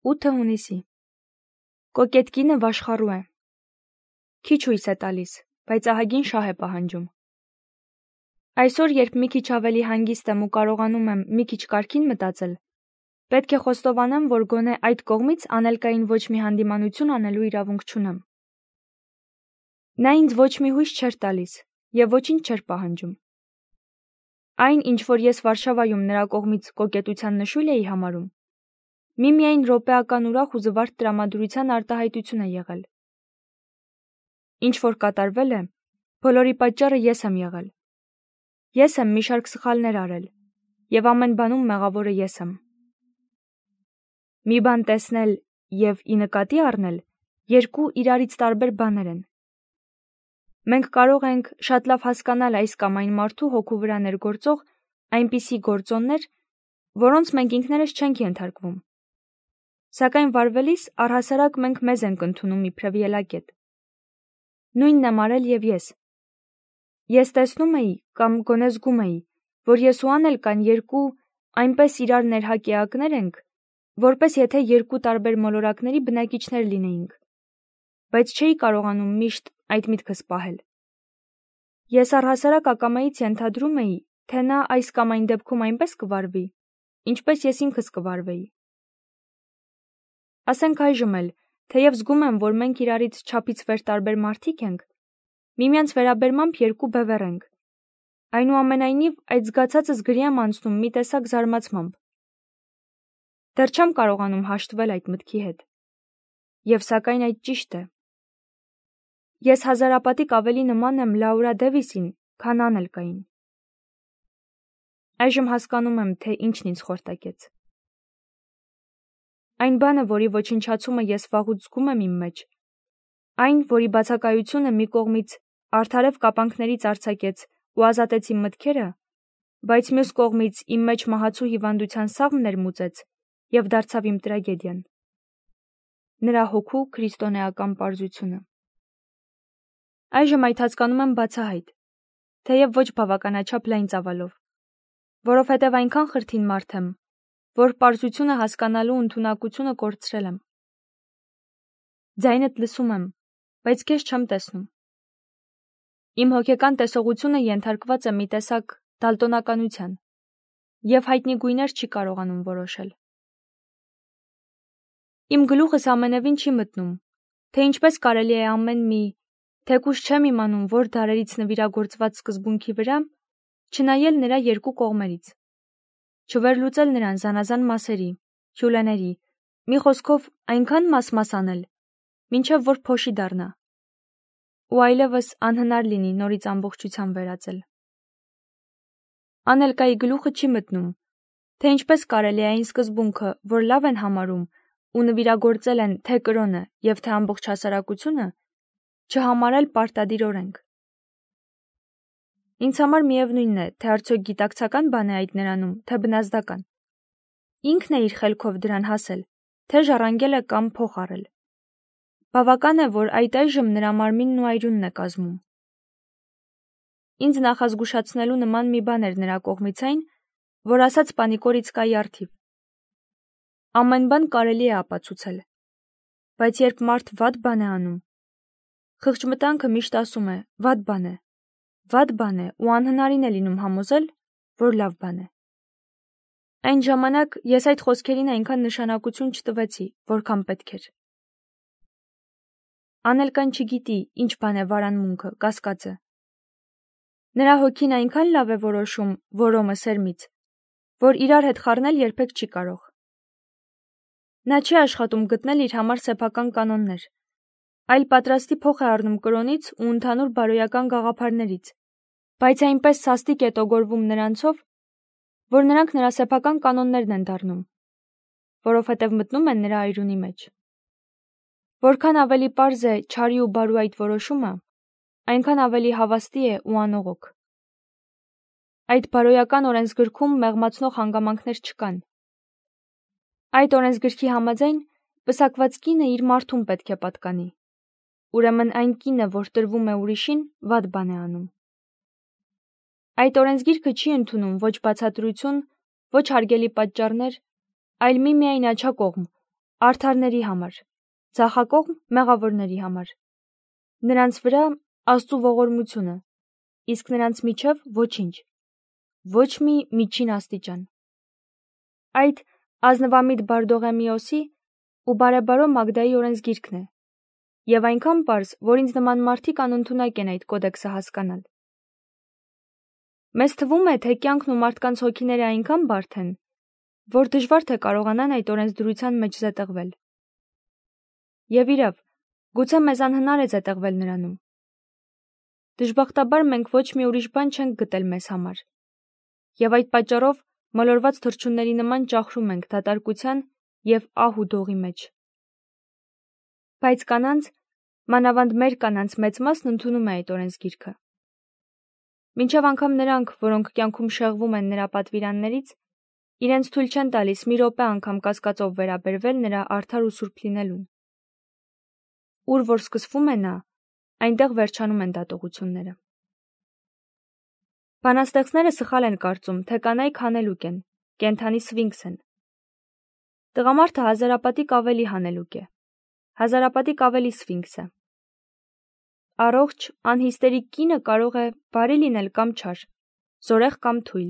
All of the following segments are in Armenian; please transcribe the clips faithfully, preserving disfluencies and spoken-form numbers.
ութը հունիսի։ Կոկետ կինը վաշխառու է։ Քիչ հույս է տալիս, բայց ահագին շահ է պահանջում։ Այսօր, երբ մի քիչ ավելի հանգիստ եմ ու կարողանում եմ մի քիչ կարգին մտածել, պետք է խոստովանեմ, որ գոնե այդ կողմից անելկային ոչ մի հանդիմանություն անելու իրավունք չունեմ։ Նա ինձ ոչ մի հույս չէր տալիս և ոչինչ չէր պահանջում։ Այն, ինչ որ ես Վարշավայում նրա կողմից կոկետության նշույլ էի համարում, միմիայն րոպեական ուրախ ու զվարթ տրամադրության արտահայտություն է եղել։ Ինչ որ կատարվել է, բոլորի պատճառը ես եմ եղել։ Ես եմ մի շարք սխալներ արել, և ամեն բանում մեղավորը ես եմ։ Մի բան տեսնել և ի նկատի առնել երկու իրարից տարբեր բաներ են։ Մենք կարող ենք շատ լավ հասկանալ այս կամ այն մարդու հոգու վրա ներգործող այնպիսի գործոններ, որոնց մենք ինքներս չենք ենթարկվում։ Սակայն վարվելիս առհասարակ մենք մեզ ենք ընդունում իբրև ելակետ։ Նույնն եմ արել և ես։ Ես տեսնում էի կամ գոնե զգում էի, որ ես ու Անել կան երկու այնպես իրար ներհակ էակներ ենք, որպես եթե երկու տարբեր մոլորակների բնակիչներ լինեինք, բայց չէի կարողանում միշտ այդ միտքս պահել։ Ես առհասարակ ակամայից ենթադրում էի, թե նա այս կամ այն դեպքում այնպես կվարվի, ինչպես ես ինքս կվարվեի։ Ասենք այժմ էլ, թեև զգում եմ, որ մենք իրարից չափից վեր տարբեր մարդիկ ենք, միմյանց վերաբերմամբ երկու բևեռ ենք։ Այնուամենայնիվ, այդ զգացածս գրի եմ անցնում մի տեսակ զարմացմամբ։ Դեռ չեմ կարողանում հաշտվել այդ մտքի հետ։ Եվ սակայն այդ ճիշտ է։ Ես հազարապատիկ ավելի նման եմ Լաուրա Դևիսին, քան Անելկային։ Այժմ հասկանում եմ, թե ինչն ինձ խորտակեց։ Այն բանը, որի ոչնչացումը ես վաղուց զգում եմ իմ մեջ, այն, որի բացակայությունը մի կողմից արդարև կապանքներից արձակեց ու ազատեց իմ մտքերը, բայց մյուս կողմից իմ մեջ մահացու հիվանդության սաղմ ներմուծեց և դարձավ իմ տրագեդիան։ Նրա հոգու քրիստոնեական պարզությունը։ Այժմ այդ հասկանում եմ բացահայտ, թեև ոչ բավականաչափ լայն ծավալով, որովհետև այնքան խրթին մարդ եմ, որ պարզությունը հասկանալու ընդունակությունը կորցրել եմ։ Ձայնդ լսում եմ, բայց քեզ չեմ տեսնում։ Իմ հոգեկան տեսողությունը ենթարկված է մի տեսակ դալտոնականության, և հայտնի գույներ չի կարողանում որոշել։ Իմ գլուխս ամենևին չի մտնում, թե ինչպես կարելի է ամեն մի, թեկուզ չեմ իմանում որ դարերից նվիրագործված սկզբունքի վրա, չնայել նրա երկու կողմերից, չվերլուծել նրան զանազան մասերի, հյուլեների, մի խոսքով այնքան մաս-մաս անել, մինչև որ փոշի դառնա, ու այլևս անհնար լինի նորից ամբողջության վերածել։ Անելկայի գլուխը չի մտնում, թե ինչպես կարելի է այն սկզբունքը, որ լավ են համարում ու նվիրագործել են թե կրոնը և թե ամբողջ հասարակությունը, չհամարել պարտադիր օրենք։ Ինձ համար միևնույն է, թե արդյոք գիտակցական բան է այդ նրանում, թե բնազդական։ Ինքն է իր խելքով դրան հասել, թե ժառանգել է կամ փոխ առել։ Բավական է, որ այդ այժմ նրա մարմինն ու այրունն է կազմում։ Ինձ նախազգուշացնելու նման մի բան էր նրա կողմից այն, որ ասաց Պանիկորիցկայի առթիվ։ Ամեն բան կարելի է ապացուցել, բայց երբ մարդ վատ բան է անում, խղճմտանքը միշտ ասում է վատ բան է, վատ բան է ու անհնարին է լինում համոզել, որ լավ բան է։ Այն ժամանակ ես այդ խոսքերին այնքան նշանակություն չտվեցի, որքան պետք էր։ Անելկան չգիտի, ինչ բան է վարանմունքը, կասկածը։ Նրա հոգին այնքան լավ է որոշում որոմը սերմից, որ իրար հետ խառնել երբեք չի կարող։ Նա չի աշխատում գտնել իր համար սեփական կանոններ, այլ պատրաստի փոխ է առնում կրոնից ու ընդհանուր բարոյական գաղափարներից, բայց այնպես սաստիկ է տոգորվում նրանցով, որ նրանք նրա սեփական կանոններն են դառնում, որովհետև մտնում են նրա այրունի մեջ։ Որքան ավելի պարզ է չարի ու բարու այդ որոշումը, այնքան ավելի հավաստի է ու անողոք։ Այդ բարոյական օրենսգրքում մեղմացնող հանգամանքներ չկան։ Այդ օրենսգրքի համաձայն պսակված կինը իր մարդուն պետք է պատկանի։ Ուրեմն այն կինը, որ տրվում է ուրիշին, վատ բան է անում։ Այդ օրենսգիրքը չի ընդունում ոչ բացատրություն, ոչ հարգելի պատճառներ, այլ միմիայն աջակողմ, Արդարների համար, ձախակողմ մեղավորների համար։ Նրանց վրա Աստծու ողորմությունը, իսկ նրանց միջև ոչինչ, ոչ մի միջին աստիճան։ Այդ ազնվամիտ Բարդողեմիոսի ու բարեբարո Մագդայի օրենսգիրքն է, եւ այնքան պարզ, որ ինձ նման մարդիկ անընդունակ են այդ կոդեքսը հասկանալ։ Մեզ թվում է, թե կյանքն ու մարդկանց հոգիները այնքան բարդ են, որ դժվար թե կարողանան այդ օրենսդրության մեջ զետեղվել։ Եվ իրավ, գուցե մեզ անհնար է զետեղվել նրանում։ Դժբախտաբար մենք ոչ մի ուրիշ բան չենք գտել մեզ համար, եւ այդ պատճառով մոլորված թռչունների նման ճախրում ենք դատարկության եւ ահ ու դողի մեջ։ Բայց կանանց, մանավանդ մեր կանանց մեծ մասն ընդունում է այդ օրենսգիրքը։ Մինչև անգամ նրանք, որոնք կյանքում շեղվում են նրա պատվիրաններից, իրենց թույլ չեն տալիս մի րոպե անգամ կասկածով վերաբերվել նրա արդար ու սուրբ լինելուն։ Ուր որ սկսվում է նա, այնտեղ վերջանում են դատողությունները։ Բանաստեղծները սխալ են կարծում, թե կանայք հանելուկ են, կենդանի սվինքս են։ Տղամարդը հազարապատիկ ավելի հանելուկ է, հազարապատիկ ավելի սվինքս է։ Առողջ, անհիստերիկ կինը կարող է բարի լինել կամ չար, զորեղ կամ թույլ,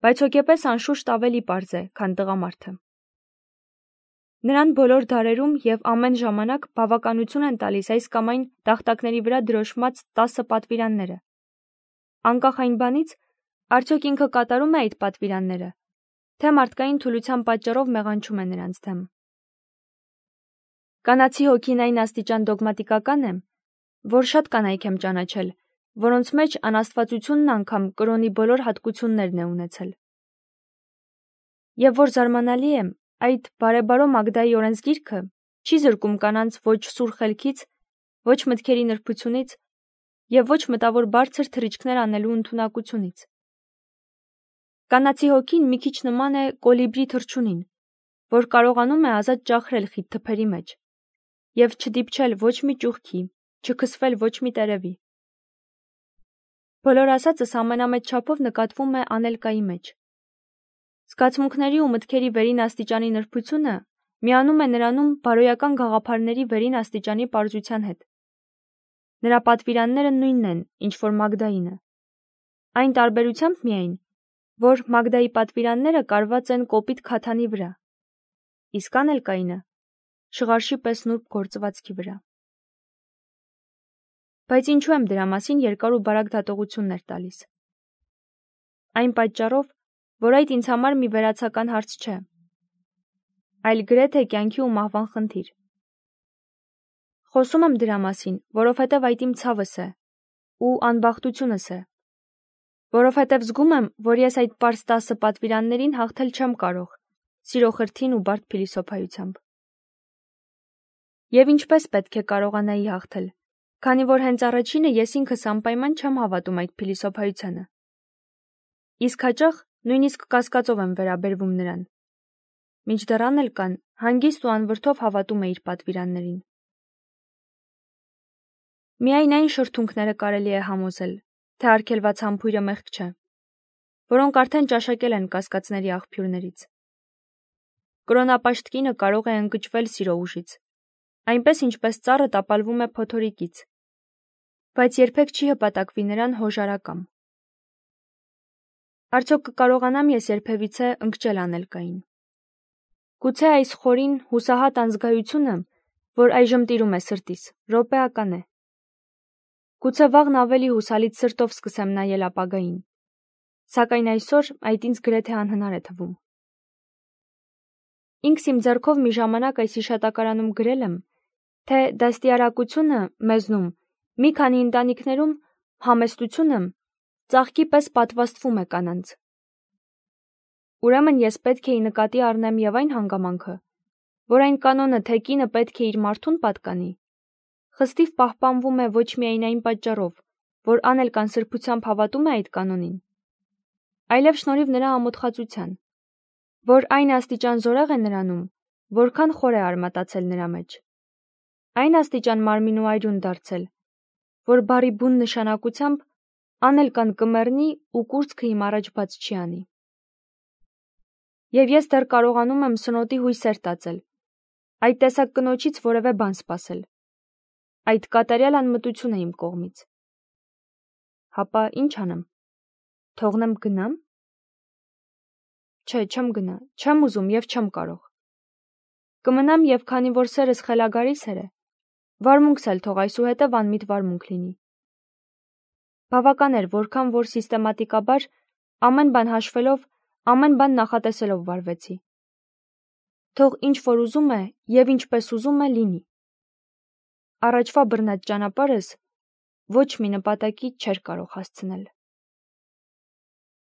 բայց հոգեպես անշուշտ ավելի պարզ է, քան տղամարդը։ Նրան բոլոր դարերում եւ ամեն ժամանակ բավականություն են տալիս այս կամ այն տախտակների վրա դրոշմած տասը պատվիրանները։ Անկախ այն բանից, արդյոք ինքը կատարում է այդ պատվիրանները, թե մարդկային թուլության պատճառով մեղանչում է նրանց դեմ։ Կանացի հոգին այն աստիճան դոգմատիկական է, որ շատ կանայք եմ ճանաչել, որոնց մեջ անաստվածությունն անգամ կրոնի բոլոր հատկություններն է ունեցել։ Եվ որ զարմանալի է, այդ բարեբարո Մագդայի օրենսգիրքը չի զրկում կանանց ոչ սուր խելքից, ոչ մտքերի նրբությունից եւ ոչ մտավոր բարձր թռիչքներ անելու ընդունակությունից։ Կանացի հոգին մի քիչ նման է կոլիբրի թռչունին, որ կարողանում է ազատ ճախրել խիտ թփերի մեջ եւ չդիպչել ոչ մի ճուղքի, չքսվել ոչ մի տերևի։ Բոլոր ասածս ամենամեծ չափով նկատվում է անելկայի մեջ։ Զգացմունքների ու մտքերի վերին աստիճանի նրբությունը միանում է նրանում բարոյական գաղափարների վերին աստիճանի պարզության հետ։ Նրա պատվիրանները նույնն են, ինչ որ Մագդայինը։ Այն տարբերությամբ միայն, որ Մագդայի պատվիրանները կարված են կոպիտ քաթանի վրա, իսկ անելկայինը շղարշի պես նուրբ գործվածքի վրա։ Բայց ինչու եմ դրա մասին երկար ու բարակ դատողություններ տալիս։ Այն պատճառով, որ այդ ինձ համար մի վերացական հարց չէ, այլ գրեթե կյանքի ու մահվան խնդիր։ Խոսում եմ դրա մասին, որովհետև այդ իմ ցավս է ու անբախտությունս է, որովհետև զգում եմ, որ ես այդ պարզ տասը պատվիրաններին հաղթել չեմ կարող, սիրո խրթին ու բարդ փիլիսոփայությամբ։ Եվ ինչպես պետք է կարողանայի հաղթել, քանի որ հենց առաջինը ես ինքս անպայման չեմ հավատում այդ փիլիսոփայությանը։ Իսկ հաճախ նույնիսկ կասկածով եմ վերաբերվում նրան, մինչդեռ անել կան հանգիստ ու անվրդով հավատում է իր պատվիրաններին։ Միայն այն շրթունքները կարելի է համոզել, թե արգելված համբույրը մեղք չէ, որոնք արդեն ճաշակել են կասկածների աղբյուրներից։ Կրոնապաշտ կինը կարող է ընկճվել սիրո ուժից, այնպես ինչպես ծառը տապալվում է փոթորիկից, բայց երբեք չի հպատակվի նրան հոժարակամ։ Արդյոք կկարողանամ ես երբևիցե ընկճել անելկային։ Գուցե այս խորին հուսահատ անզգայությունը, որ այժմ տիրում է սրտիս, րոպեական է։ Գուցե վաղն ավելի հուսալից սրտով սկսեմ նայել ապագային, սակայն այսօր այդ ինձ գրեթե անհնար է թվում։ Ինքս իմ ձեռքով մի ժամանակ այս հիշատակարանում գրել եմ, թե դաստիարակությունը մեզնում, մի քանի ընտանիքներում համեստությունը ծաղկի պես պատվաստվում է կանանց։ Ուրեմն ես պետք է նկատի առնեմ եւ այն հանգամանքը, որ այն կանոնը, թե կինը պետք է իր մարդուն պատկանի, խստիվ պահպանվում է ոչ միայն այն պատճառով, որ անելկան սրբությամբ հավատում է այդ կանոնին, այլև շնորհիվ նրա ամոթխածության, որ այն աստիճան զորեղ է նրանում, որքան խոր է արմատացել նրա մեջ, այն աստիճան մարմին ու այրուն դարձել, որ բարի բուն նշանակությամբ անելկան կմեռնի ու կուրծքը իմ առաջ բաց չի անի։ Եվ ես դեռ կարողանում եմ սնոտի հույսեր տածել, այդ տեսակ կնոջից որևէ բան սպասել։ Այդ կատարյալ անմտություն է իմ կողմից։ Հապա ինչ անեմ։ Թողնեմ գնամ։ Չէ, չեմ գնա, չեմ ուզում եւ չեմ կարող։ Կմնամ եւ քանի որ սերս խելագարի սեր է, վարմունքս էլ թող այսուհետև անմիտ վարմունք լինի։ Բավական էր, որքան որ սիստեմատիկաբար ամեն բան հաշվելով, ամեն բան նախատեսելով վարվեցի։ Թող ինչ որ ուզում է եւ ինչպես ուզում է լինի։ Առաջվա բռնած ճանապարհս ոչ մի նպատակի չէր կարող հասցնել։